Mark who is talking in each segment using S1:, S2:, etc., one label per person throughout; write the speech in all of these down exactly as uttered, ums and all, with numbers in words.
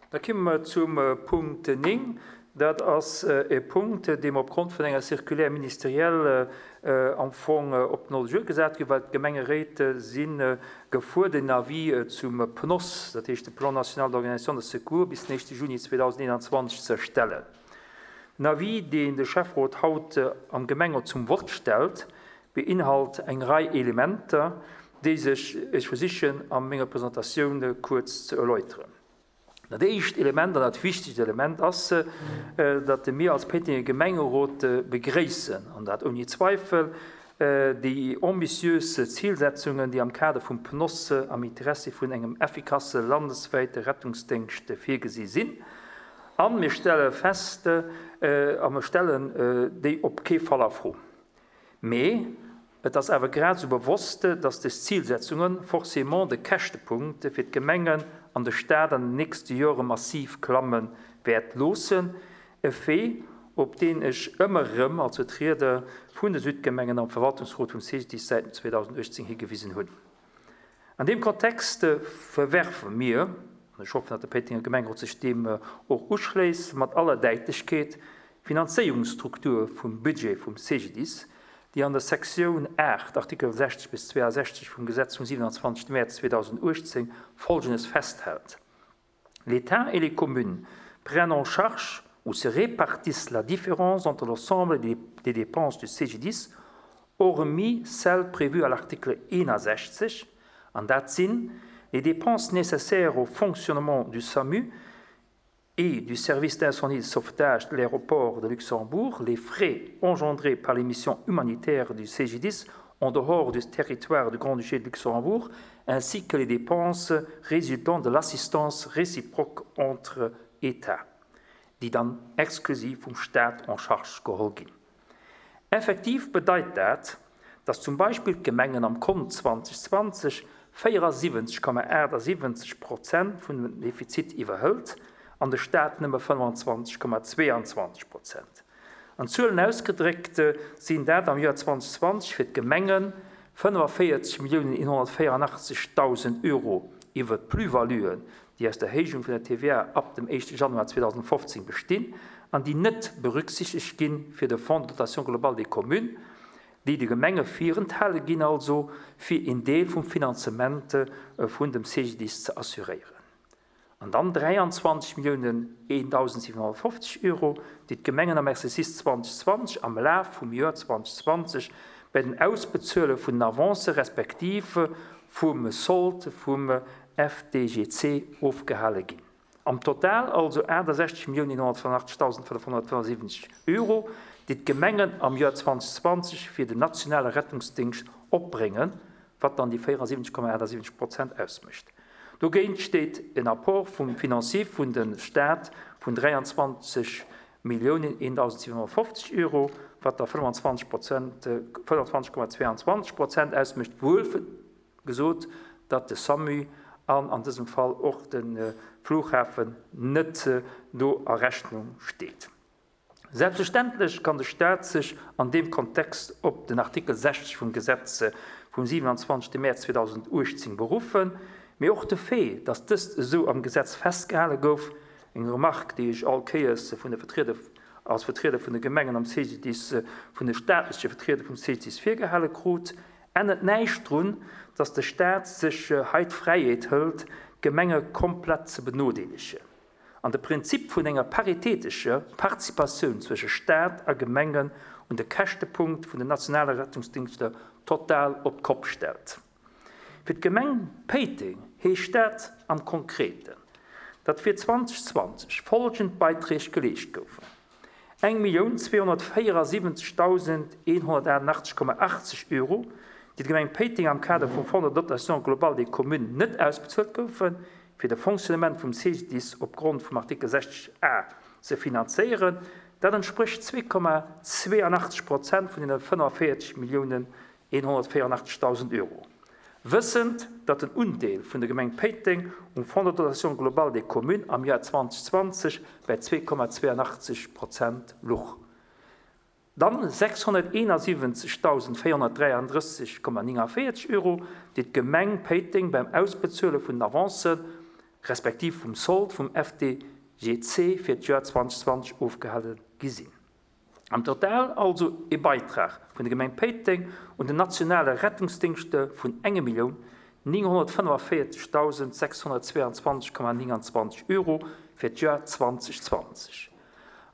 S1: Da komme mer zum Punkt néng. Dat ass e Punkt, deem opgrond vun enger Circulaire ministérielle am Fong op den Ordre du jour gesat ginn, well d'Gemengeréit si gefuerdert, en Avis zum P N O S, dat heescht de Plan national d'organisation de secours, bis den éischte Juni zweedausendeenanzwanzeg ze erstellen. Den Avis, deen de Schäfferot haut am Gemengerot zum Vott stellt, beinhalt eng Rei Elementer, déi sech ech versichen a menger Presentatioun kuerz ze erläuteren. Dat éischt Element an dat wichtegst Element ass, datt mir als Péitenger Gemengerot begréissen, an dat ouni Zweifel, déi ambitiös Zilsetzungen, déi am Kader vum P N O S am Interessi vun engem effikasse landeswäite Rettungsdéngscht virgesi sinn. A mir stelle fest, a mir stellen déi op kee Fall a Fro. Mee et ass awer grad esou bewosst, datt dës Zilsetzunge forcément de Käschtepunkt fir d'Gemengen an de Staat an den nächste Jore massiv klamme wäert loossen. E Fait, op deen ech ëmmer erëm als Vertrieder vun de Südgemengen am Verwaltungsrot vum C G D I S säit zweedausenduechtzéng higewisen hunn. An deem Kontext verwerfe mir, an ech hoffen, datt de Péitenger Gemengerot sech deem och uschléisst, mat aller Däitlechkeet d'Finanzéierungsstruktur vum Budget vum C G D I S, déi an der Sektioun aacht, Artikel sechzeg bis zweeasechzeg vum Gesetz vum siewenundzwanzegste Mäerz zweedausenduechtzéng Folgendes festhält: L'État et les communes prennent en charge ou se répartissent la différence entre l'ensemble des, des dépenses du C G D I S, hormis celles prévues à l'article soixante et un, an dat sinn les dépenses nécessaires au fonctionnement du SAMU et du service d'incendie et de sauvetage de l'aéroport de Luxembourg, les frais engendrés par les missions humanitaires du C G D I S en dehors du territoire du Grand-Duché de Luxembourg, ainsi que les dépenses résultant de l'assistance réciproque entre États, déi dann exklusiv vum Staat en charge geholl ginn. Effektiv bedeit dat, dass zum Beispill d'Gemengen am Kont zweedausendzwanzeg véierundsiwwenzeg Komma achtundsiwwenzeg Prozent vun dem Defizit iwwerhëlt an de Staat nëmme fënnefenzwanzeg Komma zweeanzwanzeg Prozent. An Zuelen ausgedréckt sinn dat am Joer zweedausendzwanzeg fir d'Gemenge fënnefavéierzeg Milliounen eenhonnertvéierundachtzegdausend Euro iwwer d'Plus-valuen, déi aus der Erhéijung vun der T V A ab dem éischte Januar zweedausendfofzéng bestinn an déi net berücksichtegt gi fir de Fonds de dotation globale des communes, déi de Gemenge virenthale ginn, also fir een Deel vum Finanzement vun dem C G D I S ze assuréieren. An dann dräianzwanzeg Milliounen eendausendsiwenhonnertfofzeg Euro, déi d'Gemengen am Exercice zweedausendzwanzeg am Laf vum Joer zweedausendzwanzeg bei den Ausbezuele vun den Avancë respektiv vum Sold vum F D G C ofgehale ginn. Am Total also achtundsechzeg Milliounen eenhonnertfënnefundachtzegdausendfënnefhonnertfënnefundsiwwenzeg Euro, déi d'Gemengen am Joer zweedausendzwanzeg fir den nationale Rettungsdéngscht opbréngen, wat dann déi véierundsiwwenzeg Komma achtundsiwwenzeg Prozent ausmécht. Dogéint steet en Apport vum financier vun de Staat vun dräianzwanzeg Milliounen eendausendsiwenhonnertfofzeg Euro, wat da fënnefenzwanzeg Prozent, fënnefenzwanzeg Komma zweeanzwanzeg Prozent ausmécht, wuel gesot, datt de SAMU an an dësem Fall och de Flughafen net do a Rechnung steet. Selbstverständlech kann de Staat sech an deem Kontext op den Artikel sechzeg vum Gesetz vum siewenundzwanzegste Mäerz zweedausenduechtzéng beruffen, mee och de Fait, datt dëst esou am Gesetz festgehale gouf, eng Remarque, déi ech all Kéiers vun de Vertrieder, als Vertrieder vun de Gemengen am C G D I S, vun de staatleche Vertrieder vum C G D I S virgehale krut, ännert näischt drun, datt de Staat sech hei d'Fräiheet hëlt, d'Gemenge komplett ze benodeelegen an de Prinzip vun enger paritéitescher Participatioun zwësche Staat a Gemengen un de Käschtepunkt vun den nationale Rettungsdingschter total op d'Kopp stellt. Fir d'Gemeng Péiteng heescht dat am Konkreten, datt fir zweedausendzwanzeg follgend Beiträg geleescht goufen: eng Millioun zweehonnertvéierundsiwwenzegdausendeenhonnertachtundachtzeg Komma achtzeg Euro, déi d'Gemeng Péiteng am Kader vum Fonds de dotation globale des communes net ausbezuelt goufen, fir de Fonctionnement vum C G D I S opgrond vum Artikel sechzeg A ze finanzéieren, dat entsprécht zwee Komma zweeundachtzeg Prozent vun den fënneféierzeg Milliounen eenhonnertvéierundachtzegdausend Euro. Wëssend, datt den Undeel vun der Gemeng Péiteng um Fonds de dotation globale des communes am Joer zweedausendzwanzeg bei zwee Komma zweeundachtzeg Prozent louch. Dann sechshonnerteenundsiwwenzegdausendvéierhonnertdräiandrësseg Komma néngundvéierzeg Euro, déi d'Gemeng Péiteng beim Ausbezuele vun den Avancen respektiv vum Sold vum F D G C fir d'Joer zweedausendzwanzeg ofgehale gi sinn. Am Total also e Beitrag vun der Gemeng Péiteng un den nationale Rettungsdéngscht vun eng Millioun nénghonnertfënnefvéierzegdausend sechshonnertzwéianzwanzeg Komma nénganzwanzeg Euro fir d'Joer zweedausendzwanzeg.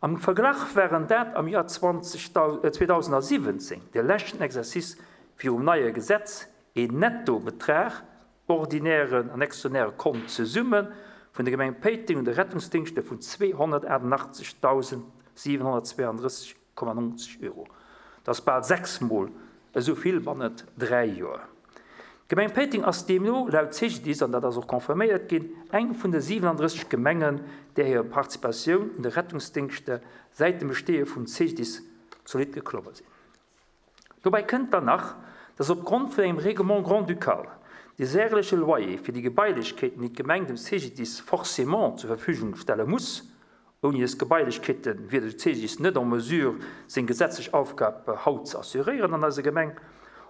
S1: Am Verglach wären dat am Joer zweedausensiwwenzéng, de leschten Exercice virum neie Gesetz, een Nettobetrag, ordinären an extraordinäre Kont zesumme vun der Gemeng Péiteng un de Rettungsdéngscht vun zweehonnertaachtenachtzegdausend siwenhonnertzwéiandrësseg Komma nongzeg Euro. Dat ass bal sechs Mol esou vill bannent dräi Joer. D'Gemeng Péiteng ass deemno laut C G D I S, an dat ass och confirméiert ginn, eng vun de siwenandrësseg Gemengen, där hir Participatioun un de Rettungsdéngschter säit dem Besteeë vum C G D I S zolidd geklomme sinn. Dobäi kënnt dann nach, dass opgrond vun engem Règlement grand-ducal de järleche Loyer fir déi Gebailechkeeten, déi d'Gemeng dem C G D I S forcément zur Verfügung stelle muss, ouni dës Gebailechkeete wier de C G D I S net en mesure, seng gesetzlech Aufgab haut ze assuréieren an eiser Gemeng,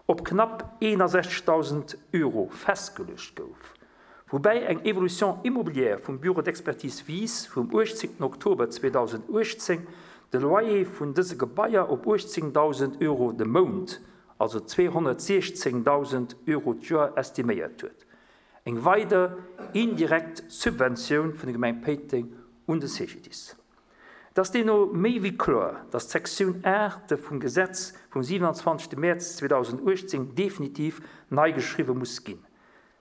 S1: op knapp eenundsechzegdausend Euro festgeluecht gouf. Woubäi eng Évolution immobilière vum Bureau d'expertise Wies vum uechtzéngten Oktober zweedausenduechtzéng de Loyer vun dëse Gebaier op uechtzéngdausend Euro de Mount, also zweehonnertsiechzéngdausend Euro d'Joer estiméiert huet. Eng weider indirekt Subventioun vun der Gemeng Péiteng un de C G D I S. Et ass deemno méi wéi kloer, dass d'Sektioun aacht vum Gesetz vum siwenanzwanzegste Mäerz zweedausenduechtzéng definitiv nei geschriwwe muss ginn.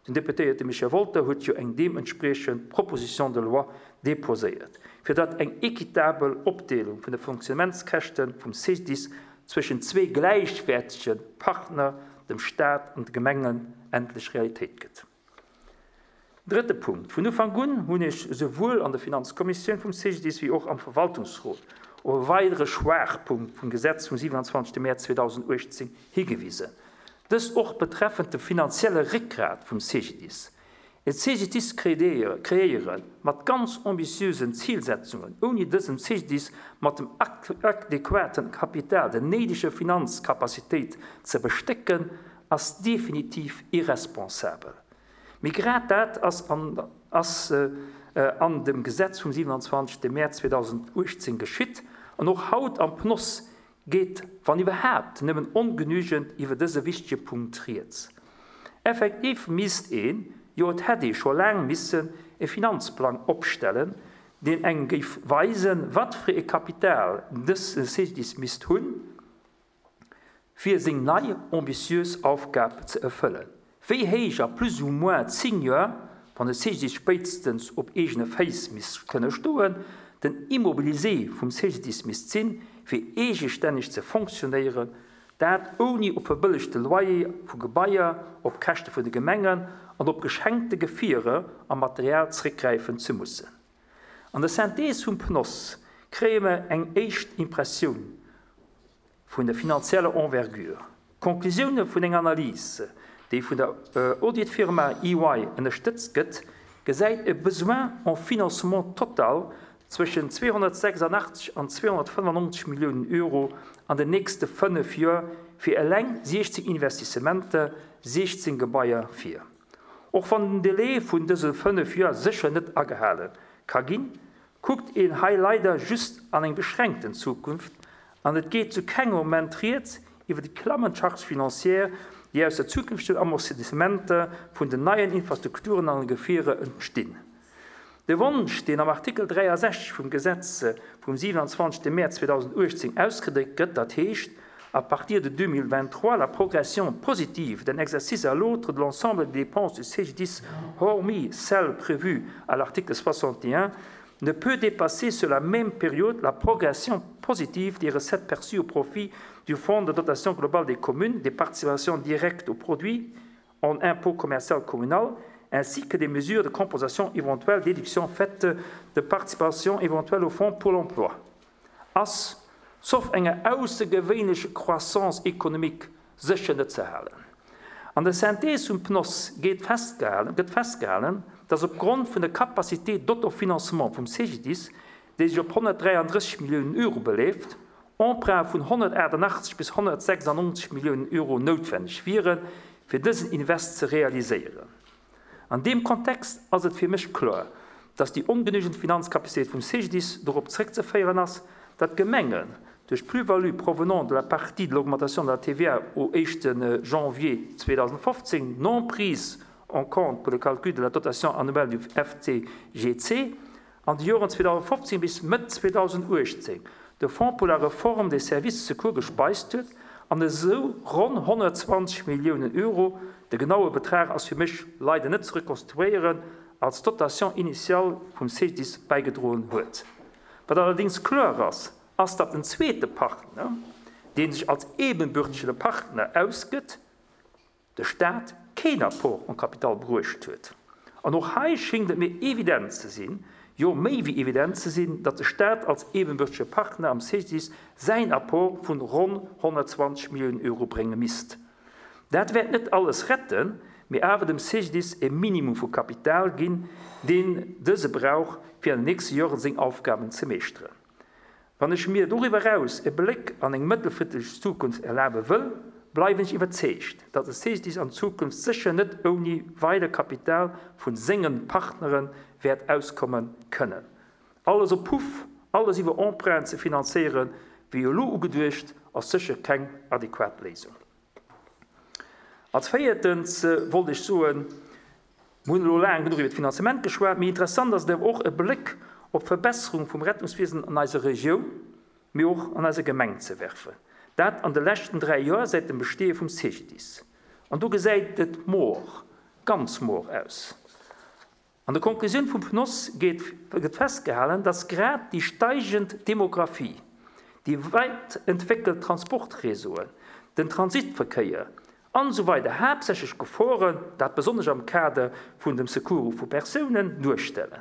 S1: Den Deputéierte Michel Wolter huet jo eng deementspriechend Proposition de loi deposéiert, fir datt eng equitabel Opdeelung vun de Fonctionnementskäschte vum C G D I S zwëschen zwee gläichwäertege Partner, dem Staat an de Gemengen, endlech Realitéit gëtt. Drëtte Punkt, Vun Ufank un hunn ech esouwuel an der Finanzkommissioun vum C G D I S wéi och am Verwaltungsrot op e weidere Schwaachpunkt vum Gesetz vum siwenanzwanzegste Mäerz zweedausenduechtzéng higewisen. Dëst och betreffend de finanzielle Réckgrat vum C G D I S. E C G D I S kreéiere mat ganz ambitiösen Zilsetzungen, ouni dësem C G D I S mat dem adequaten Kapital, der néideger Finanzkapazitéit ze bestécken, ass definitiv irresponsabel. Mee grad dat ass an, ass, äh, an dem Gesetz vum siwenanzwanzegste Mäerz zweedausenduechtzéng geschitt an och haut am P N O S geet, wann iwwerhaapt, nëmmen ongenügend iwwer dëse wichtege Punkt rieds. Effektiv misst een, jo et hätt ee scho laang missen, e Finanzplang opstellen, deen engem géif weisen, wat fir e Kapital dëse C G D I S misst hunn, fir seng nei ambitiös Aufgab ze erfëllen. Wéi héich a plus ou moins zéng Joer, wann de C G D I S spéitstens op eegene Féiss misst kënne stoen, den Immobilisé vum C G D I S misst sinn, fir eegestänneg ze fonctionnéieren, dat ouni op verbëllegte Loyer vu Gebaier, op Käschte vun de Gemengen an op geschenkte Gefierer a Material zréckgräifen ze mussen. An der Synthees vum P N O S kréie mer eng éischt Impressioun vun der finanzieller Envergure. D'Conclusioune vun enger Analys, déi vun der Auditfirma E Y ënnerstëtzt gëtt, gesäit e Besoin en financement total zwëschen zweehonnertsechsundachtzeg an zweehonnertfënnefennonzeg Milliounen Euro an den nächste fënnef Joer fir eleng siechzéng Investissementer, siechzéng Gebaier vir. Och wann den Delai vun dëse fënnef Joer sécher net agehale ka ginn, kuckt een hei leider just an eng beschränkten Zukunft an et geet zu kengem Moment rieds iwwer déi klammend Charges financières, déi aus der zukünftigen Amortissementer vun den neien Infrastrukturen an Gefierer entstinn. De Wonsch, deen am Artikel dräiasechzeg vum Gesetz vum siwenanzwanzegste Mäerz zweedausenduechtzéng ausgedréckt gëtt, dat heescht, à partir de deux mille vingt-trois, la progression positive d'un exercice à l'autre de l'ensemble des dépenses du C G D I S, hormis celles prévues à l'article soixante et un, ne peut dépasser sur la même période la progression positive des recettes perçues au profit du Fonds de dotation globale des communes, des participations directes au produit en impôt commercial communal, ainsi que des mesures de compensation éventuelles déductions faites de participation éventuelle au Fonds pour l'emploi. Ass, sauf enger aussergewéinlecher Croissance économique, sécher net ze halen. An der Synthees vum P N O S geet festgehalen, gëtt festgehalen, dass opgrond vun der Capacité d'autofinancement vum C G D I S, déi sech op honnertdräiandrësseg Milliounen Euro beleeft, Emprunte vun honnertaachtundachtzeg bis honnertsechsundnonzeg Milliounen Euro noutwenneg wieren, fir dësen Invest ze realiséieren. An deem Kontext ass et fir mech kloer, dass déi ongenügend Finanzcapacitéit vum C G D I S dorop zréckzeféieren ass, datt d'Gemengen duerch d'Plus-value provenant de la partie de l'augmentation de la T V A au éischte janvier zweedausendfofzéng non prise en compte pour le calcul de la dotation annuelle du F T G C an de Joren zweedausendfofzéng bis Mëtt zweedausenduechtzéng de Fonds pour la réforme des services de secours gespeist huet an esou ronn honnertzwanzeg Milliounen Euro, de genaue Betrag ass fir mech leider net ze rekonstruéieren, als Dotation initiale vum C G D I S bäigedroen huet. Wat allerdéngs kloer ass, ass datt en zweete Partner, dee sech als ebenbürtege Partner ausgëtt, de Staat, keen Apport en capital bruecht huet. An och hei schéngt et mir evident ze sinn, jo méi wéi evident ze sinn, datt de Staat als ebenbürtege Partner am C G D I S säin Apport vun ronn honnertzwanzeg Milliounen Euro brénge misst. Dat wäert net alles retten, mee awer dem C G D I S e Minimum vu Kapital ginn, deen dëse brauch, fir an den nächste Joren seng Aufgaben ze meeschteren. Wann ech mir doriwwer eraus e Bléck an eng mëttelfristeg Zukunft erlabe wëll, bleiwen ech iwwerzeegt, datt de C G D I S an Zukunft sécher net ouni weider Kapital vu senge Partnere wäert auskomme kënnen. Alles op Puff, alles iwwer Emprunten ze finanzéieren, wéi elo ugeduecht, ass sécher keng adequat Léisung. Als véiertens wollt ech soen, mir hunn elo laang genuch iwwer d'Finanzement geschwat, mee interessant ass et awer och e Bléck op d'Verbesserung vum Rettungswiesen an eiser Regioun, mee och an eiser Gemeng ze werfen. Dat an de leschten dräi Joer säit dem Besteeë vum C G D I S. An do gesäit et mor, ganz mor aus. An der Konklusioun vum P N O S geet, gëtt festgehalen, dass grad déi steigend Demografie, déi weit entwéckelt Transportreseauen, den Transitverkéier an esou weider haaptsächlech Geforen, dat besonnesch am Kader vun dem Secours vu Persounen, duerstellen.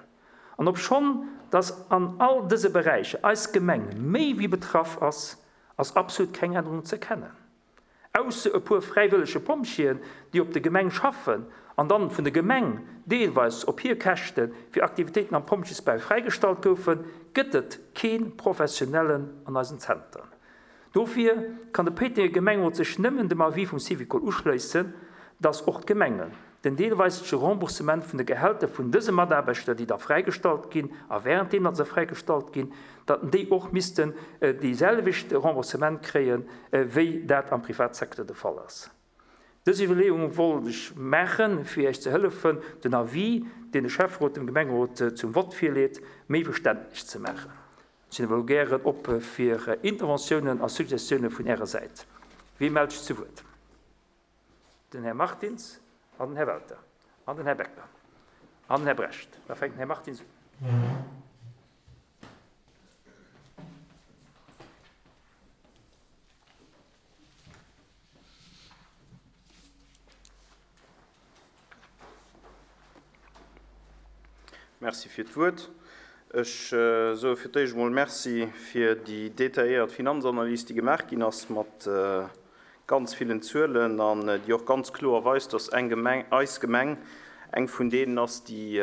S1: An obschonn dass an all dëse Beräicher eis Gemeng méi wéi betraff ass, ass absolut keng Ännerung ze erkennen. Ausser e puer fräiwëllege Pompjeeën, déi op der Gemeng schaffen an dann vun der Gemeng deelweis op hir Käschte fir Aktivitéiten am Pompjeesbau fräigestallt goufen, gëtt et kee Professionellen an eisen Zenteren. Dofir kann de Péitenger Gemengerot sech nëmmen dem Avis vum Syvicol uschléissen, dass och d'Gemengen den deelweise Remboursement vun de Gehälter vun dëse Mataarbechter, déi da fräigestallt ginn, a wärenddeem datt se fräigestallt ginn, datt déi och missten dee selwechte Remboursement kréien, wéi dat am Privatsecteur de Fall ass. Dës Iwwerleeung wollt ech maachen, fir Iech ze hëllefen, den Avis, deen de Schäfferot dem Gemengerot zum Vott virleet, méi verständlech ze maachen. Ech sinn awer elo gären op fir Interventiounen a Suggestioune vun Ärer Säit. Wie mellt sech zu Wuert? Den Här Martins an den Här Welter an den Här Becker an den Här Brecht. Da fänkt den Här Martins un.
S2: Merci fir d'Wuert. Ech soe fir d'éischt emol Merci fir déi detailléiert Finanzanalys, déi gemaach ginn ass mat ganz villen Zuelen an déi och ganz kloer weist, dass eng Gemeng, eis Gemeng eng vun deenen ass, déi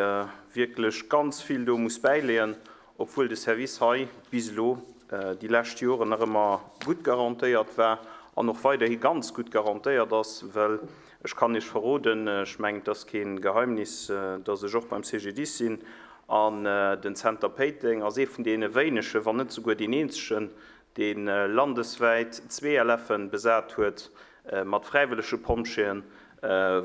S2: wierklech ganz vill do muss bäileeën, obwuel de Service hei bis elo déi lescht Joren nach ëmmer gutt garantéiert war an och weiderhi ganz gutt garantéiert ass, well ech kann Iech verroden, ech mengen, et ass kee Geheimnis, dass ech och beim C G D I S sinn an den Zenter Péiteng ass ee vun deene wéinegen, wann net souguer deen eenzegen, dee landeswäit zwee L F'en besat huet mat fräiwëllege Pompjeeën,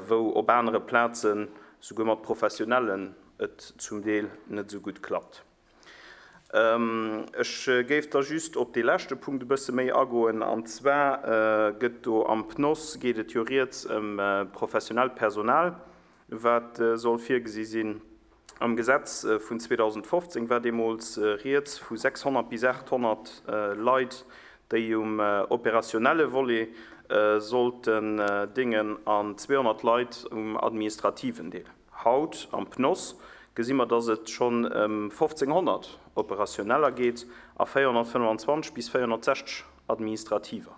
S2: wou op anere Plazen souguer mat Professionellen et zum Deel net esou gutt klappt. Ech géif da just op dee leschte Punkt e bësse méi agoen, an zwar gëtt do am P N O S, geet et jo rieds ëm professionellt Personal, wat soll virgesi sinn. Am Gesetz vun zweedausendfofzéng war deemools rieds vu sechshonnert bis aathonnert Leit, déi um operationelle Volet sollten déngen an zweehonnert Leit um administrativen Deel. Haut am P N O S gesi mer, dass et schonn ëm fofzénghonnert Operationeller geet a véierhonnertfënnwanzwanzeg bis véierhonnertsechzeg Administrativer.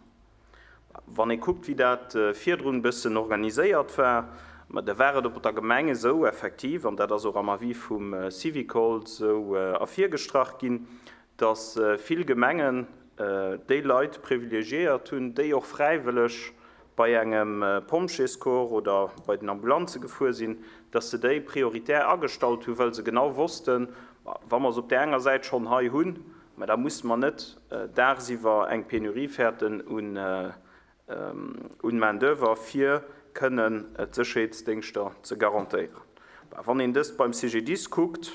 S2: Wann ee kuckt, wéi dat virdrun e bëssen organiséiert war, ma da war et op der Gemeng esou effektiv, an dat ass och am Avis vum Syvicol esou ervirgestrach ginn, dass vill Gemengen déi Leit privilegiéiert hunn, déi och fräiwëlleg bei engem Pompjeescorps oder bei den Ambulanze gefuer sinn. dass se déi prioritär agestallt hunn, well se genau wossten, wa mer se op där enger Säit schonn hei hunn, mä da musse mer net dagsiwwer eng Penurie fäerten un un Main-d'oeuvre, fir kënnen d'Sécherheetsdéngschter ze garantéieren. Wann een dëst beim C G D I S kuckt,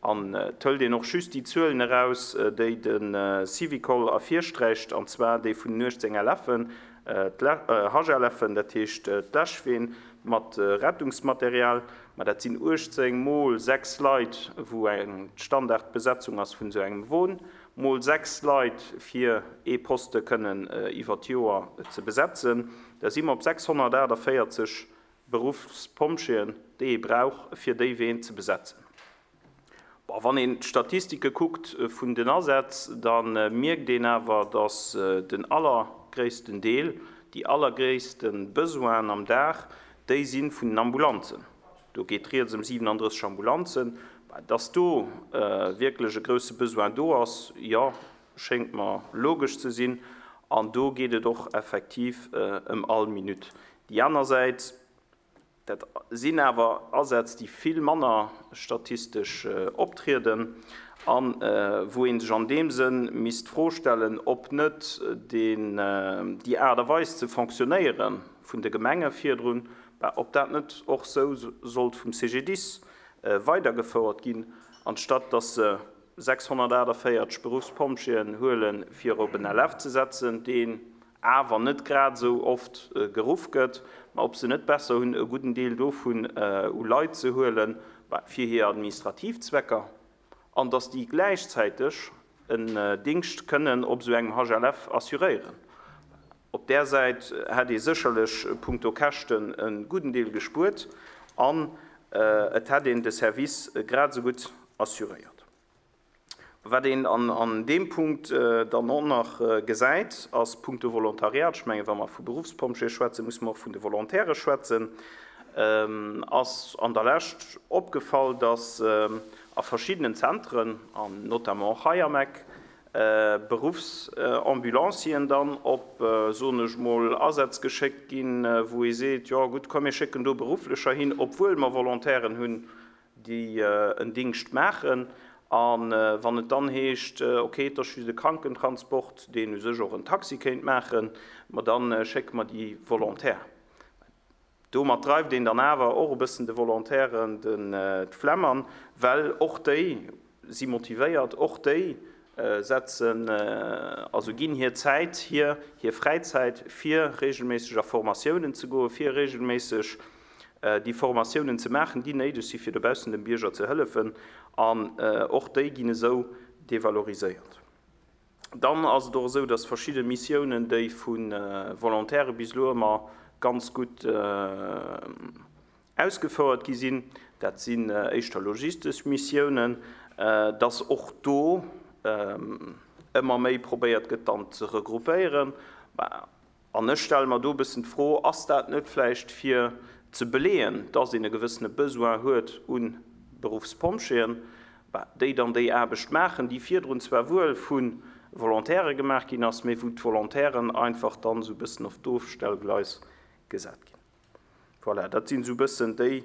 S2: an et hëlt een och just déi Zuelen eraus, déi de Syvicol ervirsträicht, an zwar déi vun den uechtzéng L F-en, H L F-en, dat heescht d'Läschween mat Rettungsmaterial, ma dat sinn uechtzéng mol sechs Leit, wou eng Standardbesetzung ass vun esou engem Won, mol sechs Leit fir ee Poste kënnen iwwer d'Joer ze besetzen. Da si mer op sechshonnertaachtavéierzeg Berufspompjeeën, déi ee brauch, fir déi Ween ze besetzen. Bon, wann een d'Statistike kuckt vun den Asätz, da mierkt een awer, dass den allergréissten Deel, déi allergréisste Besoinen am Dag, déi sinn vun den Ambulanzen. Do geet rieds ëm siewenunddrësseg Ambulanzen. Dass do wierklech e grousse Besoin do ass, ja, schéngt mer logesch ze sinn. An do geet et och effektiv ëm all Minutt. Déi aner Säit, dat sinn awer Asätz, déi vill manner statistesch optrieden an wou een sech an deem Sënn misst d'Fro stellen, ob net den, déi Aart a Weis ze fonctionnéiere vun de Gemenge virdrun, ob dat net och sou sollt vum C G D I S weidergefouert ginn, anstatt dass se sechshonnertaachtavéierzeg Berufspompjeeën huelen, fir op en L F ze setzen, deen awer net grad sou oft geruff gëtt, ma ob se net besser hunn, e gudden Deel dovun u Leit ze huelen, fir hir administrativ Zwecker, an dass déi gläichzäiteg en Dingscht kënnen op sou engem H L F assuréieren. Op där Säit hätt ee sécherlech punkto Käschten en gudden Deel gespuert an et hätt een de Service grad sou gutt assuréiert. Wat een an, an deem Punkt dann och nach gesäit, ass punkto Volontariat. Ech menge, wa mer vu Berufspompjeeë schwätzen, muss mer och vun de Volontäre schwätzen. Ähm, ass an der Lescht opgefall, dass a verschiedenen Zentren, an notamment och hei am Eck, Berufsambulancien dann op, soen ech mol, Asätz geschéckt ginn, wou ee seet, ja gutt, komm, mir schécken do Berufflecher hin, obwuel mer Volontären hunn, déi en Dingscht maachen. An wann et dann heescht, okay, et ass just e Krankentransport, deen u sech och en Taxi kéint maachen, ma dann schécke mer déi Volontaire. Domat dreift een dann awer och e bëssen de Volontären den d'Flemm an, well och déi si motivéiert, och déi setzen, also ginn hir Zäit, hir, hir Fräizäit, fir regelméisseg a Formatiounen ze goen, fir regelméisseg déi Formatiounen ze maachen, déi néideg si fir dobaussen dem Bierger ze hëllefen, an och déi ginn esou devaloriséiert. Dann ass et och esou, dass verschidde Missiounen, déi vu Volontäre bis elo ëmmer ganz gutt ausgefouert gi sinn, dat sinn éischter logistesch Missiounen, dass och do ëmmer méi probéiert gëtt, dann ze regroupéieren. An ech stelle mer do e bëssen d'Fro, ass dat net vläicht fir ze beleeën, dass een e gewëssene Besoin huet un Berufspompjeeën, déi dann déi Aarbecht maachen, déi virdrun zwar wuel vu Volontäre gemaach ginn ass, mee wou d'Volontären einfach dann sou e bëssen op d'Ofstellgleis gesat ginn. Voilà, dat sinn sou e bëssen déi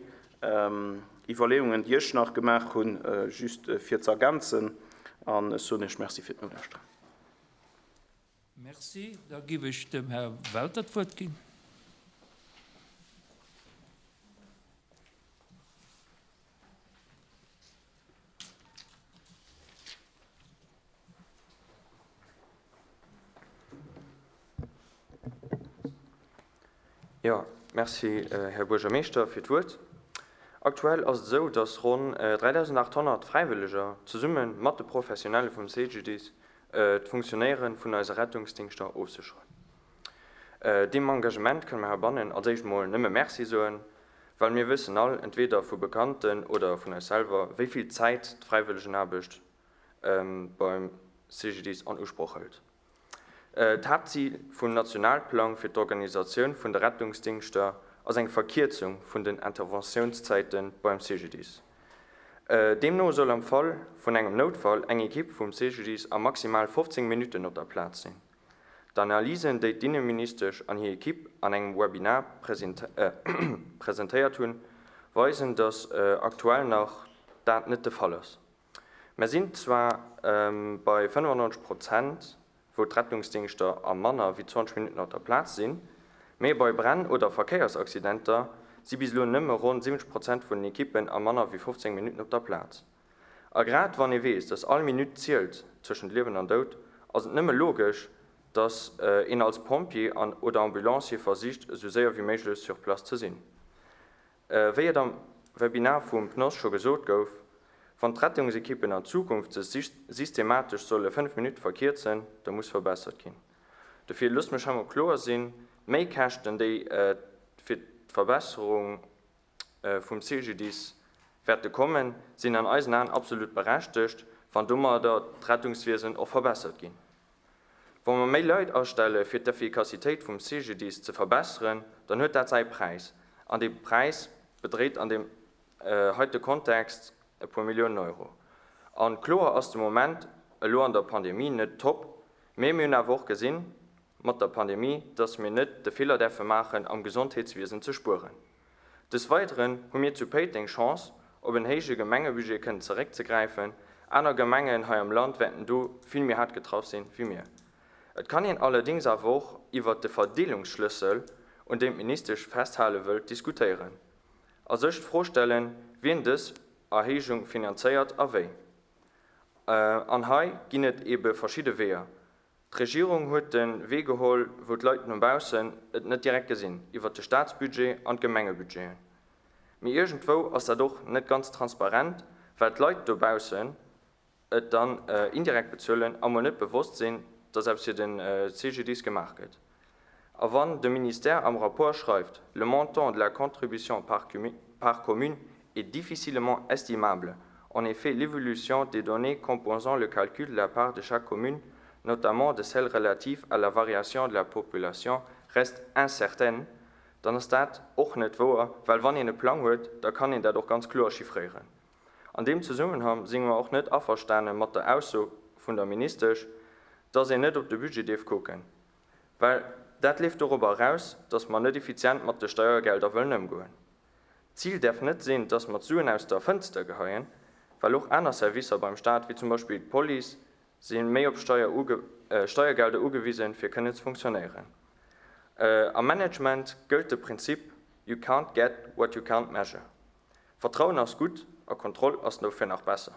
S2: Iwwerleeungen, déi ech nach gemaach hunn, just fir ze ergänzen. An ech soen Iech Merci fir d'Nolauschteren.
S1: Merci. Da gebe ich dem Herrn Welter d'Wuert ginn.
S3: Ja, merci, Herr Bürgermeister, fir d'Wuert. Aktuell ass et sou, dass ronn dreitausendachthonnert Fräiwëlleger zesumme mat de Professionelle vum C G D I S d'Funktionéiere vun eise Rettungsdienster ofsicheren. Deem Engagement kënne mir heibannen als éischt mol nëmme Merci soen, well mir wëssen all, entweder vu Bekannten oder vun eis selwer, wéi vill Zäit d'Fräiwëllegenaarbecht beim C G D I S an Usproch hëlt. D'Haaptzil vum Nationalplang fir d'Organisatioun vun de Rettungsdienster ass eng Verkierzung vun den Interventiounszeiten beim C G D I S. Deemno soll am Fall vun engem Noutfall eng Ekipp vum C G D I S a maximal fofzéng Minuten op der Plaz sinn. D'Analysen, déi d'Inneministesch an hir Ekipp an engem Webinar präsentéiert hunn, weisen, dass aktuell nach dat net de Fall ass. Mir sinn zwar bei fënnefannonzeg Prozent, wou d'Rettungsdingschter a manner wéi zwanzeg Minutten op der Plaz sinn, mee bei Bränn oder Verkéiersaccidenter si bis elo nëmme ronn siwwenzeg Prozent vun den Ekippen a manner wéi fofzéng Minutten op der Plaz. A grad wann ee weess, dass all Minutt zielt tëschent Liewen an Doud, ass et nëmme logesch, dass een als Pompjee an oder Ambulancier versicht, esou séier wéi méiglech sur place ze sinn. Wéi et am Webinar vum PNOS scho gesot gouf, wann d'Rettungsekippen an Zukunft sech systematesch solle fënnef Minutte verkierzen, da muss verbessert ginn. Dofir loosst mech hei mol kloer sinn, D'Méikäschten, déi fir d'Verbesserung vum C G D I S wäerte kommen, sinn an eisen Aen absolut berechtegt, wann domadder d'Rettungswiesen och verbessert ginn. Wa mer méi Leit astelle fir d'Effikassitéit vum C G D I S ze verbesseren, dann huet dat säi Präis. An dee Präis bedréit an deem heite Kontext e puer Milliounen Euro. An kloer ass de Moment elo an der Pandemie net top, mee mir hunn awer och gesinn mat der Pandemie, dass mir net de Feeler däerfe maachen, am Gesondheetswiesen ze spueren. Des Weiteren hu mir zu Péiteng Chance, op en héije Gemengebudget kënnen zeréckzegräifen. Aner Gemengen hei am Land wäerten do vill méi haart getraff sinn wéi mir. Et kann een allerdéngs awer och iwwer de Verdeelungsschlëssel, un deem d'Ministesch festhale wëllt, diskutéieren. A sech d'Fro stellen, wien dës Erhéijung finanzéiert a wéi. An hei ginn et ebe verschidde Weeër. D'Regierung huet de Wee geholl, wou d'Leit no baussen et net direkt gesinn, iwwer de Staatsbudget an d'Gemengebudgeten. Mee iergendwou ass dat och net ganz transparent, well d'Leit dobaussen et dann indirekt bezuelen a mol net bewosst sinn, dass eppes fir den C G D I S gemaach gëtt. A wann de Ministère am Rapport schreift, le montant de la contribution par cumune, par commune est difficilement estimable. En effet, l'évolution des données composant le calcul de la part de chaque commune, notamment de celles relatives à la variation de la population, reste incertaine. Dann ass dat och net wouer, well wann een e Plang huet, da kann een dat och ganz kloer chiffréieren. An deem Zusammenhang si mer och net averstane mat der Ausso vun der Ministesch, dass een net op de Budget dierf kucken. Well dat leeft dorobber eraus, dass mer net effizient mat de Steiergelder wëllen ëmgoen. D'Zil däerf net sinn, dass mer d'Suen aus der Fënster geheien, well och aner Servicer beim Staat, wéi zum Beispill d'Police, sinn méi op Steier uge-, äh, Steiergelder ugewisen, fir kënnen ze funktionéieren. Äh, am Management gëllt de Prinzip You can't get what you can't measure. Vertrauen ass gutt a Kontroll ass dofir nach besser.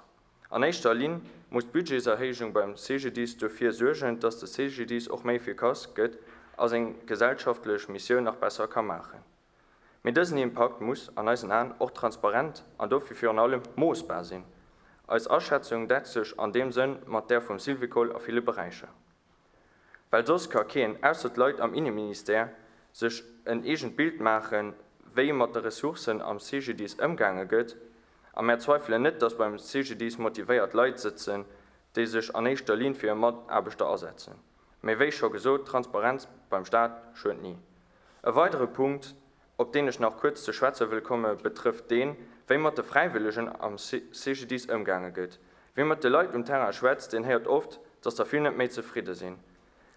S3: An éischter Linn muss d'Budgetserhéijung beim C G D I S dofir suergen, dass de C G D I S och méi efficace gëtt a seng gesellschaftlech Missioun nach besser ka maachen. Mee dësen Impakt muss an eisen Aen och transparent an dofir virun allem moossbar sinn. Eis Aschätzung deckt sech an deem Sënn mat där vum Syvicol a ville Beräicher. Well soss ka keen, ausser d'Leit am Innenministère, sech en eegent Bild maachen, wéi mat de Ressourcen am C G D I S ëmgaange gëtt, a mir zweifelen net, dass beim C G D I S motivéiert Leit sitzen, déi sech an éischter Linn fir hir Mataarbechter asetzen. Mee wéi scho gesot, Transparenz beim Staat schuet nie. E weidere Punkt, op den ech nach kuerz ze schwätze wëll komme, betrëfft deen, wéi mat de Fräiwëllegen am C G D I S ëmgaange gëtt. Wie mat de Leit um Terrain schwätzt, den héiert oft, dass der vill net méi zefridde sinn.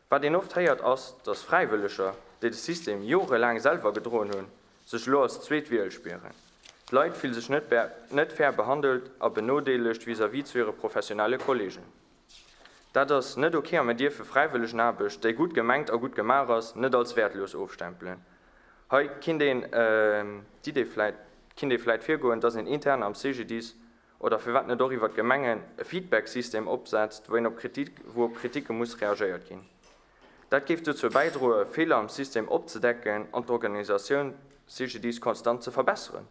S3: Wat een oft héiert ass, dass Fräiwëlleger, déi de System jorelaang selwer gedroen hunn, sech lo als zweet Wiel spieren. D'Leit fühlen sech net be-, net fair behandelt a benodeelegt vis-à-vis zu hire professionelle Kollegen. Dat ass net okay a mir dierfe Fräiwëllegenaarbecht, déi gutt gemengt a gutt gemaach ass, net als wertlos ofstempelen. Hei kinnt een, ähm, d'Idee vläit, kinnt ee vläit virgoen, dass een intern am C G D I S oder firwat net och iwwer d'Gemengen e Feedback-System opsetzt, wou een op Kritik, wou op Kritike muss reagéiert ginn. Dat géif dozou bäidroen, Feeler am System opzedecken an d'Organisatioun C G D I S konstant ze verbesseren.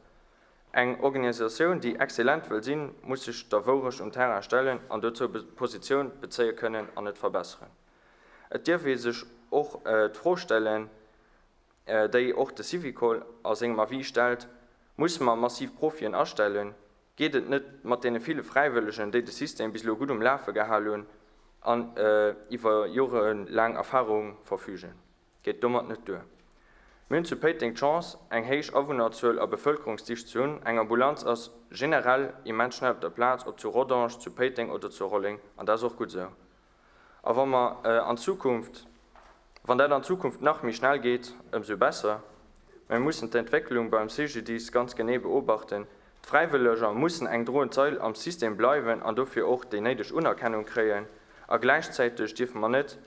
S3: Eng Organisatioun, déi exzellent wëll sinn, muss sech der Wourecht um Terrain stellen an dozou Be-, Positioun bezéie kënnen an et verbesseren. Et dierf ee sech och, äh, d'Fro stellen, äh, déi och de Syvicol a sengem Avis stellt, muss man massiv Profien astellen, geet et net mat deene ville Fräiwëllegen, déi de System bis elo gutt um Lafe gehalen hunn an, äh, iwwer jorelaang Erfahrung verfügen. Geet domat net duer. Mir hunn zu Péiteng d'Chance, eng héich Awunnerzuel a Bevëlkerungsdicht ze hunn. Eng Ambulanz ass generell immens schnell op der Plaz, ob zu Rodange, zu Péiteng oder zu Rolleng, an dat ass och gutt esou. A wann mer, äh, an Zukunft, wann dat an Zukunft nach méi schnell geet, ëmsou besser. Mir mussen d'Entwécklung beim C G D I S ganz genee beobachten. D'Fräiwëlleger mussen eng droend Sail am System bleiwen an dofir och déi néideg Unerkennung kréien. A gläichzäiteg dierfe mer net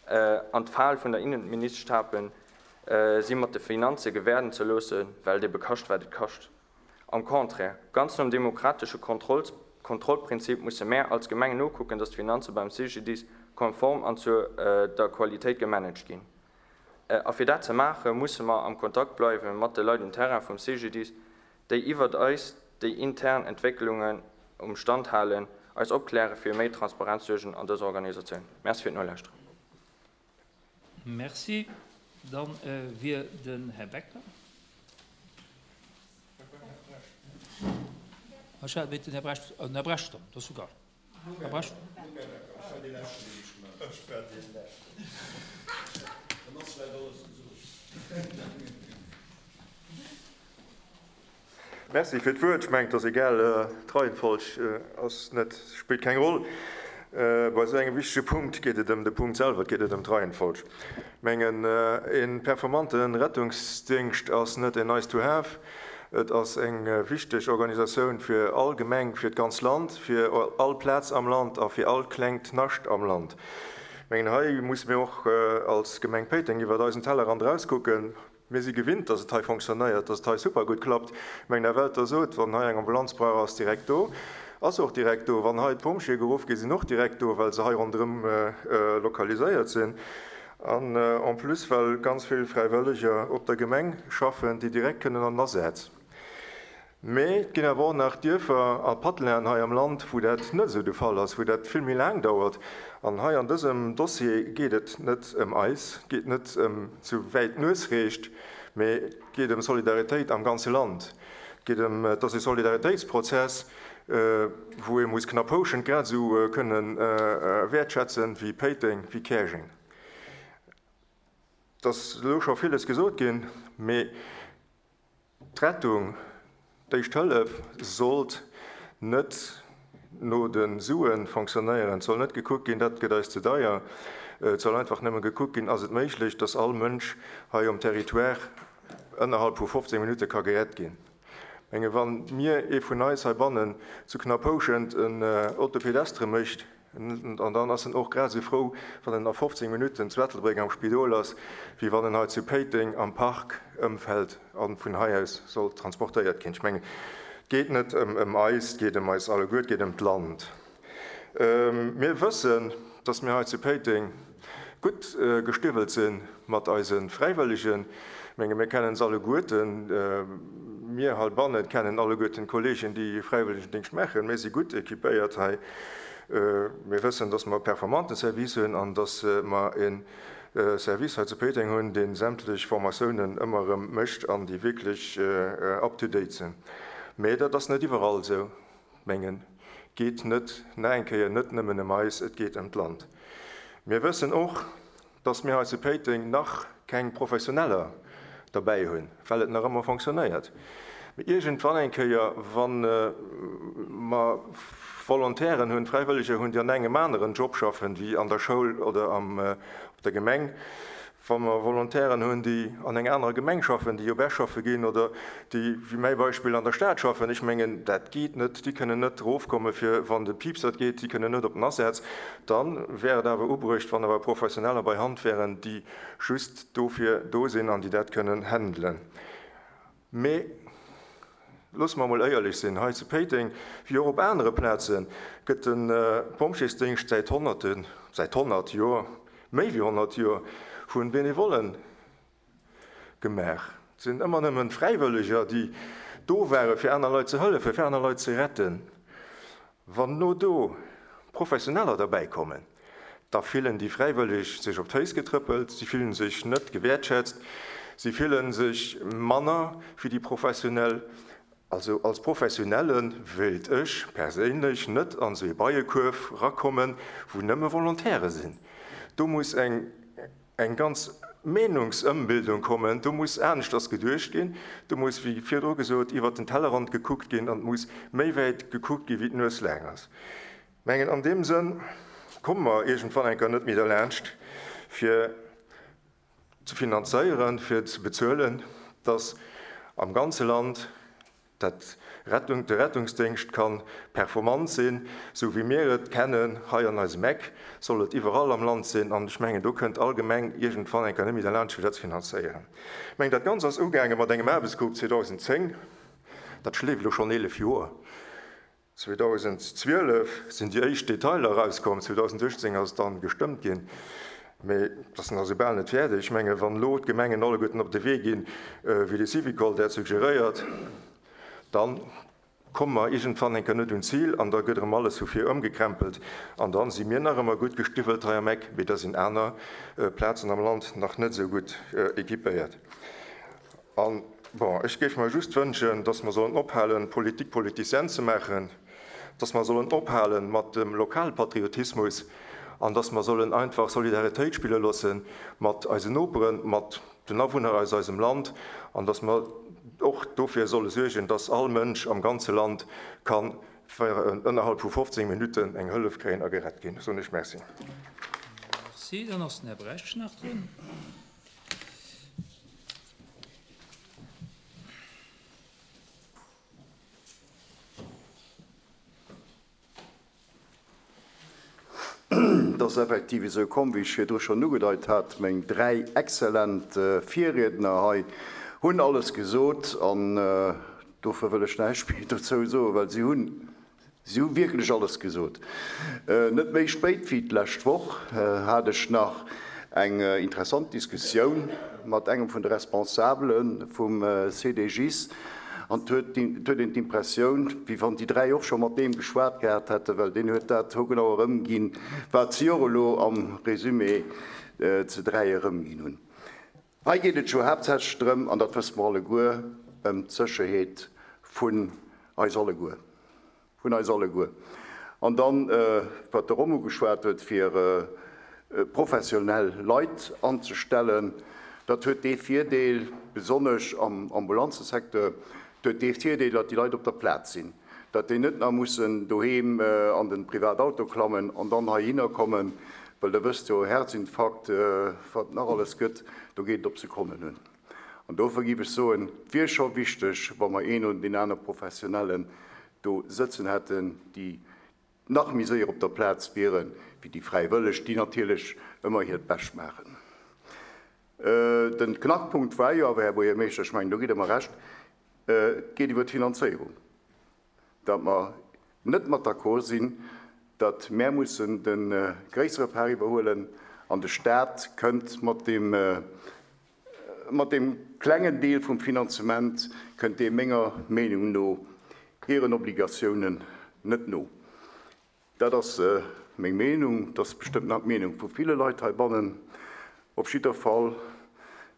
S3: äh, an d'Fal vun der Innenministesch tappen, äh, si mat de Finanze gewäerden ze loossen, well et ebe kascht, wat et kascht. Am Contraire, ganz nom demokratesche Kontroll Kontrollprinzip musse mir als Gemeng nokucken, dass d'Finanze beim C G D I S konform an zu äh, der Qualitéit gemanagt ginn. Äh, a fir dat ze maachen, musse mer am Kontakt bleiwe mat de Leit um Terrain vum C G D I S, déi iwwer eis déi intern Entwécklungen um Stand halen, eis opkläre fir méi Transparenz suergen an dëser Organisatioun. Merci fir d'Nolauschteren.
S1: Merci. Dann äh, wier den Här Becker. Den Här Brecht, äh, Här Brecht, dat ass souguer. Här Brecht.
S4: Ech war dee Leschten. Dann ass vläicht alles gesot.
S5: Merci fir d'Wuert. Ech mengen, et ass egal, d'Reihenfolg ass net, spillt keng Roll. Bei esou engem wichtege Punkt geet et ëm de Punkt selwer, et geet net ëm d'Reihenfolg. Ech mengen, e performante Rettungsdéngscht ass net en nice to have, et ass eng wichteg Organisatioun fir all Gemeng, fir d'ganz Land, fir all Plaz am Land a fir all klengt Nascht am Land. Ech mengen, hei musse mir och als Gemeng Péiteng iwwer eisen Tellerrand erauskucken. Mir si gewinnt, dass et hei fonctionnéiert, dass et hei super gutt klappt. Ech mengen, Här Welter sot, wann hei eng Ambulanz brauch, ass direkt do. Ass och direkt do. Wann hei d'Pompjeeë geruff ginn, sinn och direkt do, well se hei ronderëm lokaliséiert sinn. An en plus, well ganz vill Fräiwëlleger op der Gemeng schaffen, déi direkt kënnen an den Asaz. Mee et ginn awer och nach Dierfer a Patelinen hei am Land, wou dat net esou de Fall ass, wou dat vill méi laang dauert. An hei an dësem Dossier geet et net ëm eis, et geet net ëm sou wäit d'Nues reecht, mee et geet ëm Solidaritéit am ganze Land. Et geet ëm, et ass e Solidaritéitsprozess, wou ee muss Knapphouschent grad esou kënnen wäertschätzen wéi Péiteng, wéi Käerjeng. Et ass elo scho villes gesot ginn, mee d'Rettung, d'éischt Hëllef sollt net no de Sue fonctionnéieren. Et soll net gekuckt ginn, dat gëtt eis ze deier. Et soll einfach nëmme gekuckt ginn, ass et méiglech, dass all Mënsch hei um Territoire ënnerhalb vu fofzéng Minutte ka gerett ginn. Ech menge wann mir ee vun eis heibannen zu Knapphouschent en Autopédestre mécht, an dann ass en och grad esou frou, wann en a fofzéng Minutten zu Ettelbréck am Spidol ass, wéi wann en hei zu Péiteng am Park ëmfält a vun hei aus soll transportéiert ginn. Ech mengen, et geet net ëm eis, et geet ëm eis alleguer, et geet ëm d'Land. Mir wëssen, dass mir hei zu Péiteng gutt gestiwwelt si mat eise Fräiwëllegen. Ech menge mir kennen se alleguerten, mir heibanne kennen alleguerten d'Kolleegen, déi Fräiwëllegendéngscht maachen. Mir si gutt ekipéiert hei. Mir wëssen, dass mer e performante Service hunn an dass mer e Service hei zu Péiteng hunn, dee sämtlech Formatiounen ëmmer erëm mécht an déi wierklech up to date sinn. Mee dat ass net iwwerall esou. Mengen, geet net, nach eng Kéier, net nëmmen ëm eis, et geet ëm d'Land. Mir wëssen och, dass mir hei zu Péiteng nach keng Professioneller derbäi hunn, well et nach ëmmer fonctionnéiert. Mee iergendwann eng Kéier, wa mer Volontairen hunn, Fräiwëlleger hunn, déi an engem aneren Job schaffen, wéi an der Schoul oder am, op der Gemeng, wa mer Volontairen hunn, déi an enger anerer Gemeng schaffen, déi op Esch schaffe ginn oder déi, wéi mäi Beispill, an der Stad schaffen, ech mengen, dat geet net, déi kënnen net erofkomme fir wann de Piipsert geet, déi kënnen net op den Asaz, da wär et awer ubruecht, wann awer Professioneller bei Hand wären, déi just dofir do sinn an déi dat kënnen handelen. Mee loosse mer emol éierlech sinn, hei zu Péiteng, wéi och op anere Plazen, gëtt de Pompjeesdéngscht säit Honnerten, säit honnert Joer, méi wéi honnert Joer, vu Benevollen gemaach. Et sinn ëmmer nëmmen Fräiwëlleger, déi do ware fir aner Leit ze hëllefen, fir aner Leit ze retten. Wann no do Professioneller derbäi kommen, da fillen déi Fräiwëlleg sech op d'Féiss getrëppelt, si fillen sech net gewäertschätzt, si fillen sech manner wéi déi Professionell. Also als Professionelle wéilt ech perséinlech net an esou ee Beiekuerf rakommen, wou nëmme Volontaire sinn. Do muss eng eng ganz Meenungsëmbildung kommen, do muss aneschters geduecht ginn, do muss, wéi virdru gesot, iwwert den Tellerrand gekuckt ginn an et muss méi wäit gekuckt gi wéi d'Nues laang ass. Mengen, an deem Sënn komme mer iergendwann eng Kéier net méi derlaanscht, fir ze finanzéieren, fir ze bezuelen, dass am ganze Land dat Rettung, de Rettungsdienst kann performant sinn, so wie mir et kennen, hei an eisem Eck, soll et iwwerall am Land sinn, an ech mengen, do kënnt all Gemeng iergendwann eng Kéier net méi derlaanscht fir dat ze finanzéieren. Ech mengen, dat Ganzt ass ugaange mat engem Aarbechtsgrupp zweedausendzéng, dat schleeft elo schonn eelef Joer. zweedausendzwielef sinn déi éischt Detailer erauskomm, zweedausenduechtzéng ass et dann gestëmmt ginn, mee dat ass nach soubal net fäerdeg. Ech mengen, wann elo d'Gemengen alleguerten op de Wee ginn, wéi de Syvicol dat suggeréiert, dann komme mer iergendwann eng Kéier net un d'Zil an da gëtt erëm alles vu vir ëmgekrempelt an da si mir nach ëmmer gutt gestiwwelt hei am Eck, mee da sinn aner Plazen am Land nach net esou gutt équipéiert. An, bon, ech géif mer just wënschen, dass mer sollen ophalen, Politique politicienne ze maachen, dass mer sollen ophalen mat dem Lokalpatriotismus an dass mer sollen einfach Solidaritéit spille loosse mat eisen Noperen, mat den Awunner aus eisem Land an dass mer och dofir solle suergen, dass all Mënsch am ganze Land kann ënnerhalb vu fofzéng Minutten eng Hëllef kréien a gerett ginn. Soen ech Merci.
S1: Merci. Dann ass den Här Brecht nach drun.
S6: Et ass effektiv esou komm, wéi ech virdru schonn ugedeit hat. Meng dräi exzellent Virriedner hei hunn alles gesot an dofir wëll ech näischt méi dozou soen, well si hunn, si hu wierklech alles gesot. Net méi spéit wéi d'lescht Woch hat ech nach eng interessant Diskussioun mat engem vun de Responsabele vum C D G I S an et huet een d'Impressioun, wéi wann déi dräi och scho mat deem geschwat gehat hätten, well deen huet dat hogenau erëmginn, wat si och elo am Résumé ze dräi erëmginn hunn. Hei geet et jo haaptsächlech drëm, an dat wësse mer alleguer, ëm d'Sécherheet vun eis alleguer. Vun eis alleguer. An dann, wat de Romo geschwat huet, fir professionell Leit anzestellen, dat huet dee Virdeel, besonnesch am Ambulanzesecteur, huet dee Virdeel, datt déi Leit op der Plaz sinn, datt déi net nach mussen doheem an den Privatauto klammen an dann heihinner kommen, well der wësst jo, Herzinfarkt, wat nach alles gëtt, do geet et op Sekonnen un. An dofir géif ech soen, et wier scho wichteg, wa mer een oder deen aner Professionellen do sëtzen hätten, déi nach méi séier op der Plaz wieren, wéi déi Fräiwëlleg, déi natierlech ëmmer hiert Bescht maachen. Den Knackpunkt war jo awer, Här Buergermeeschter, ech mengen, do gitt Der mer Recht, et geet iwwer d'Finanzéierung, datt mer net mat d'accord sinn, datt mär mussen de gréissere Part iwwerhuelen an de Staat kënnt mat deem, mat deem klengen Deel vum Finanzement, kënnt dee menger Meenung no hiren Obligatiounen net no. Dat ass meng Meenung, dat ass bestëmmt nach d'Meenung vu ville Leit heibannen. Op jidder Fall,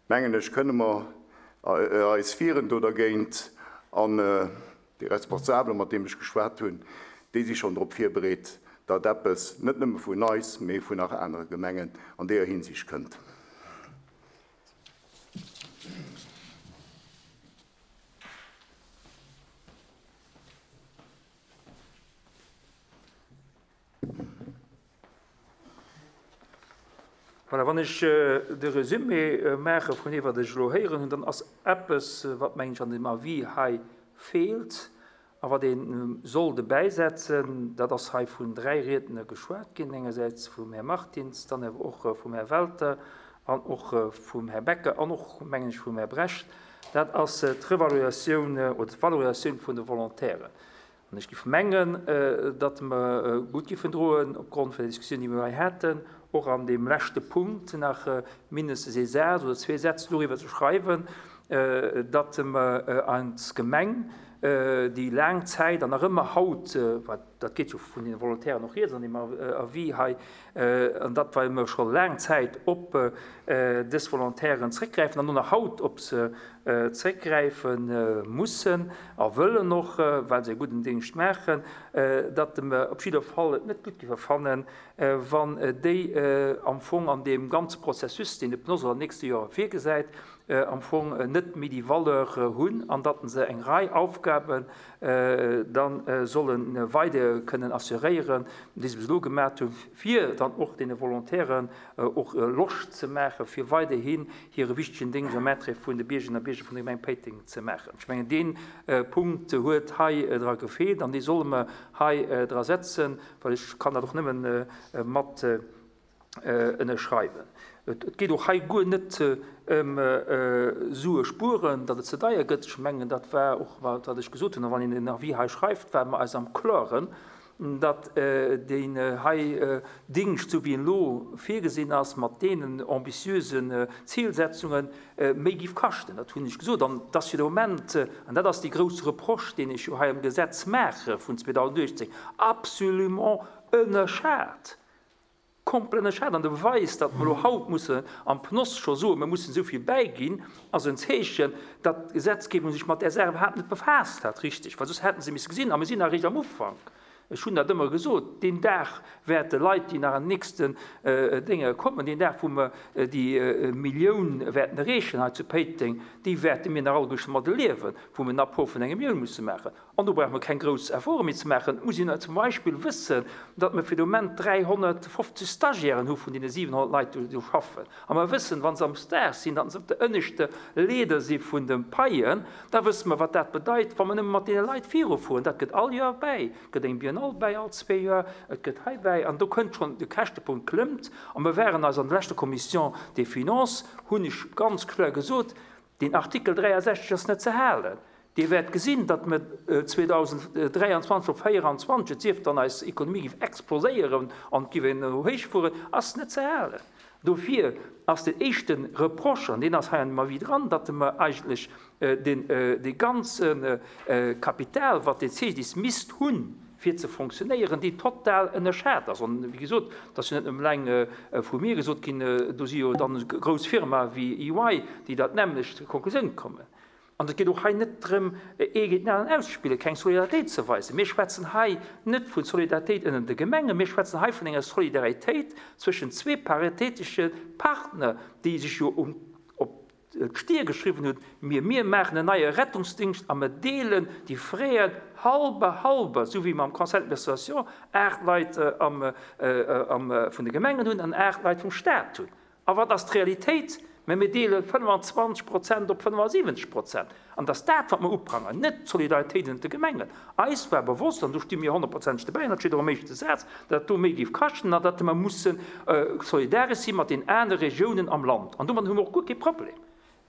S6: mengen ech, kënne mer eis wieren do dergéint an déi Responsabelen, mat deem ech geschwat hunn, déi si schonn drop virbereet, datt eppes net nëmme vun eis, mee vun nach anere Gemengen an deeër Hinsicht kënnt.
S1: Voilà, wann ech de Resumé maache vun deem, wat ech elo héieren hunn, dann ass eppes, wat mengen ech an dem Avis hei feelt a wat ee soll dobäisetzen, dat ass hei vun dräi Riedner geschwat ginn, engersäits vum Här Martins, dann awer och vum Här Welter an och vum Här Becker an och, mengen ech, vum Här Brecht, dat ass d'Revaluatioun oder d'Valorisatioun vun de Volontairen. An ech géif mengen, datt mer gutt géifen droen, opgrond vun der Diskussioun, déi mir hei haten, och an dem leschte Punkt nach mindestens ee Saz oder zwee Sätz doriwwer ze schreiwen, datt mer als Gemeng déi laang Zäit an nach ëmmer haut, wat dat geet jo vun den Volontairen och rieds an dem Avis hei, an dat, well mer scho laang Zäit op dës Volontairen zréckgräifen an och nach haut op se zréckgräife mussen a wëllen och, well se e gudden Dingscht maachen, datt mer op jidder Fall et net gutt géife fannen, wann déi am Fong an deem ganze Prozessus, deen de P N O S an den nächste Joer virgesäit, am Fong net méi déi Valeur hunn an datt se eng Rei Aufgaben dann sollen weiderginn kënnen assuréieren, déi se bis elo gemaach hunn, fir dann och deene Volontairen och Loscht ze maachen, fir weiderhin hire wichtegen Déngscht am Intérêt vun de Biergerinnen a Bierger vun der Gemeng Péiteng ze maachen. Ech mengen, dee Punkt huet hei dra gefeelt an dee solle mer hei dra setzen, well ech kann dat och nëmmen mat ënnerschreiwen. Et geet och hei guer net ëm Sue spueren, datt et ze deier gëtt. Ech mengen, dat war och, wat ech gesot hunn, a wann een den Avis hei schreift, ware mer eis am Klaren, datt deen hei Dingscht, esou wéi en elo virgesinn ass, mat deenen ambitiösen Zilsetzungen, méi géif kaschten. Dat hunn ech gesot. An et ass fir de Moment, an dat ass dee grousse Reproche, deen ech jo hei am Gesetz maache vun zweedausendachtzéng, absolument ënnerschat. Komplett ënnerschat. An de Beweis, datt mer elo haut mussen am PNOS scho soen, mir mussen esou vill bäiginn, ass en Zeechen, datt d'Gesetzgebung sech mat där Saach iwwerhaapt net befaasst hat, richtig, well soss hätte se misse gesinn, a mir sinn nach eréischt am Ufank. Ech hunn dat ëmmer gesot, deen Dag wäerte Leit, déi nach an den nächsten Dénge kommen, deen Dag, wou mer déi Millioun wäerten erreechen hei zu Péiteng, déi wäerte mir nach alleguerten mat erliewen, wou mir en Apport vun enger Millioun musse maachen. An do brauche mer keng grouss Efforte méi ze maachen. Et muss een zum Beispill wëssen, datt mer fir de Moment dräihonnertfofzeg Stagiairen hu vun deene siwenhonnert Leit, déi do schaffen. A mer wëssen, wa se am Stage sinn, datt se op der ënneschter Leeder si vun de Paien. Da wësse mer, wat dat bedeit, wa mer nëmme mat deene Leit virufueren. Dat gëtt all Joer bäi. Et gëtt eng Biennale bäi all zwee Joer, et gëtt hei bäi. An do kënnt schonn, de Käschtepunkt klëmmt. A mer waren eis an der leschter Commission des Finances, hunn ech ganz kloer gesot, deen Artikel dräiasechzeg ass net ze halen. Dir wäert gesinn, datt mer zweedausenddräianzwanzeg op véieranzwanzeg, et sief dann eis Ekonomie géif exploséieren an et géif een elo héich fueren, ass net ze halen. Dofir ass den éischte Reproche, an deen ass hei an dem Avis dran, datt mer eigentlech dee ganze Kapital, wat de C G D I S misst hunn, fir ze fonctionnéieren, déi total ënnerschat ass. An, wéi gesot, dat ass jo net nëmmen eleng vu mir gesot ginn, do si jo dann grouss Firmae wéi E Y, déi dat nämmlecht Konklusioun kommen. An et geet och hei net drëm, ee géint den aneren auszespillen, keng Solidaritéit ze weisen. Mir schwätzen hei net vu Solidaritéit ënnert de Gemengen, mir schwätzen hei vun enger Solidaritéit zwëschen zwee paritéitesche Partner, déi sech jo op d'Stier geschriwwen hunn, Mir, mir maachen en neie Rettungsdingscht a mir deelen déi Fräen halbe halbe, esou wéi mer am Conseil d'administration aacht Leit vun de Gemengen hunn an aacht Leit vum Stat hunn. A wat ass d'Realitéit? Mä mir deele fënnfanzwanzeg Prozent op fënnefasiwwenzeg Prozent. An et ass dat, wat mer uprangeren, net d'Solidaritéit ënnert de Gemengen. Eis war bewosst, an do sti mir honnertprozenteg dobäi, an dat steet och am éischte Saz, datt dat do méi géif kaschten an datt mer musse solidaresch si mat den anere Regiounen am Land. An domadden hu mer och guer kee Problem.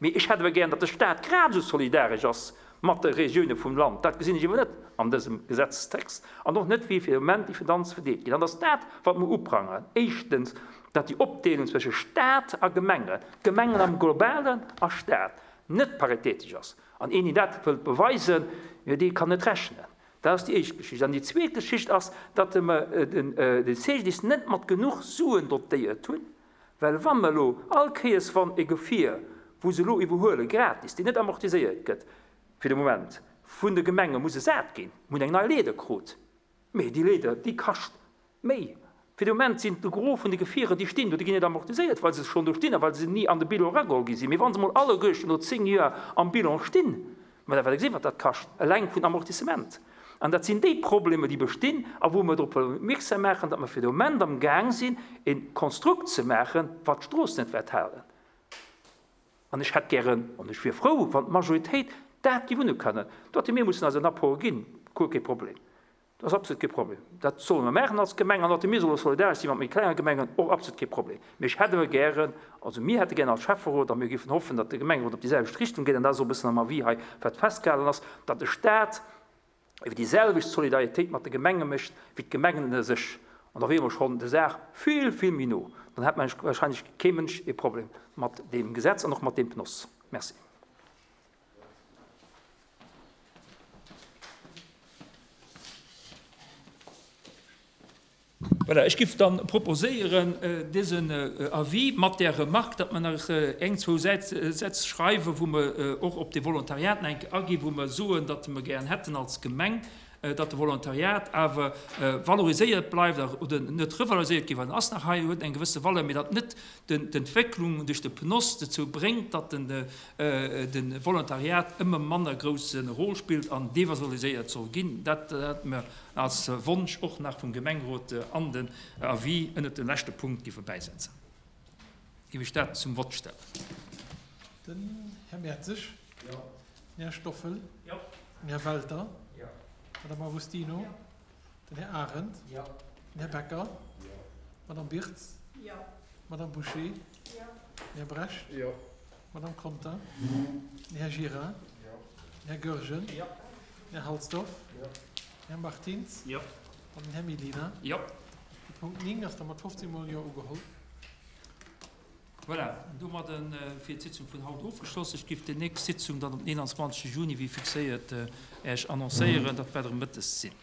S1: Mee ech hätt awer gären, datt de Stat grad esou solidaresch ass mat de Regioune vum Land. Dat gesinn ech awer net an dësem Gesetzestext an och net, wéi fir de Moment déi Finanze verdeelt ginn. An et ass dat, wat mer uprangeren, éischtens, datt déi Opdeelung zwësche Stat a Gemengen, Gemengen am Globalen a Stat, net paritätesch ass. An een, deen dat wëllt beweisen, jo, dee kann net rechnen. Dat ass déi éischt Geschicht. An déi zweet Geschicht ass, datt mer de C G D I S net mat genuch Suen dotéiert hunn, well wa mer elo all Kéiers, wann e Gefier, wou se elo iwwerhuelen, gratis, déi net amortiséiert gëtt fir de Moment, vun de Gemenge muss ersat ginn, mir hunn eng nei Leeder krut, mee déi Leeder, déi kascht méi. Fir de Moment sinn de Gros vun de Gefierer, déi stinn do, déi ginn net amortiséiert, well se schonn do stinn a well se ni an de Bilan erageholl gi sinn. Mee wa se mol alleguerten no zéng Joer am Bilan stinn, ma da wäert Der gesinn, wat dat kascht, eleng vun Amortissement. An dat sinn déi Problemer, déi bestinn a wou mer drop wëllen opmierksam maachen, datt mer fir de Moment am Gaang sinn, e Konstrukt ze maachen, wat d'Strooss net wäert halen. An ech hätt gären, an ech wier frou, wann d'Majoritéit dat géif unerkennen, datt mir mussen eis en Apport ginn, guer kee Problem. Dat ass absolut kee Problem. Dat solle mer maachen als Gemeng an datt mir solle solidaresch si mat méi klenge Gemengen, och absolut kee Problem. Mee ech hätt awer gären, also mir hätte gären als Schäfferot, a mir géifen hoffen, datt de Gemengerot op déi selwecht Richtung geet, an dat ass och e bëssen am Avis hei, wat festgehalen ass, datt de Stat iwwer déi selwecht Solidaritéit mat de Gemenge mécht wéi d'Gemengen ënner sech. An da wiere mer schonn der Saach vill, vill méi no. Dann hätt wahrscheinlech kee Mënsch e Problem mat deem Gesetz an och mat deem P N O S. Merci. Voilà, ech giff dann proposéieren, dësen Avis mat där Remarque, datt mer nach eng, zwou Sätz schreiwen, wou mer och op de Volontariat nach eng Kéier aginn, wou mer soen, datt mer gären hätten als Gemeng, datt de Volontariat awer valoriséiert bleift oder net revaloriséiert gétt, well en ass nach hei, huet eng gewësse Valeur, mee datt net d'Entwécklung duerch de PNOS dozou bréngt, datt de Volontariat ëmmer manner grousse Rôle spillt an devaloriséiert soll ginn. Dat hätte mer als Wonsch och nach vum Gemengerot an den Avis ënnert de leschte Punkt géife bäisetzen. Géif ech dat zum Vott stellen.
S7: Den Här Mertzig.
S1: Jo.
S7: Den Här Stoffel.
S1: Jo.
S7: Den Här Welter.
S1: Jo.
S7: D'Madame Agostino.
S1: Jo.
S7: Den Här Arendt.
S1: Jo.
S7: Den Här Becker.
S4: Jo.
S7: D'Madame Birtz.
S8: Jo.
S7: D'Madame Bouché.
S8: Jo.
S7: Den Här Brecht.
S4: Jo.
S7: D'Madame Conter. Den Här Gira.
S4: Jo.
S7: Den Här Goergen.
S1: Jo.
S7: Den Här Halsdorf.
S4: Jo.
S7: Den Här Martins.
S2: Jo.
S7: An den Här Mellina.
S1: Jo.
S7: De Punkt néng ass da mat fofzéng mol Jo ugeholl.
S1: Voilà, domadde wier d'Sitzung vun haut ofgeschloss. Ech géif déi nächst Sitzung dann um eenanzwanzege Juni, wéi fixéiert, Äech annoncéieren. Dat wäert erëm mëttes sinn.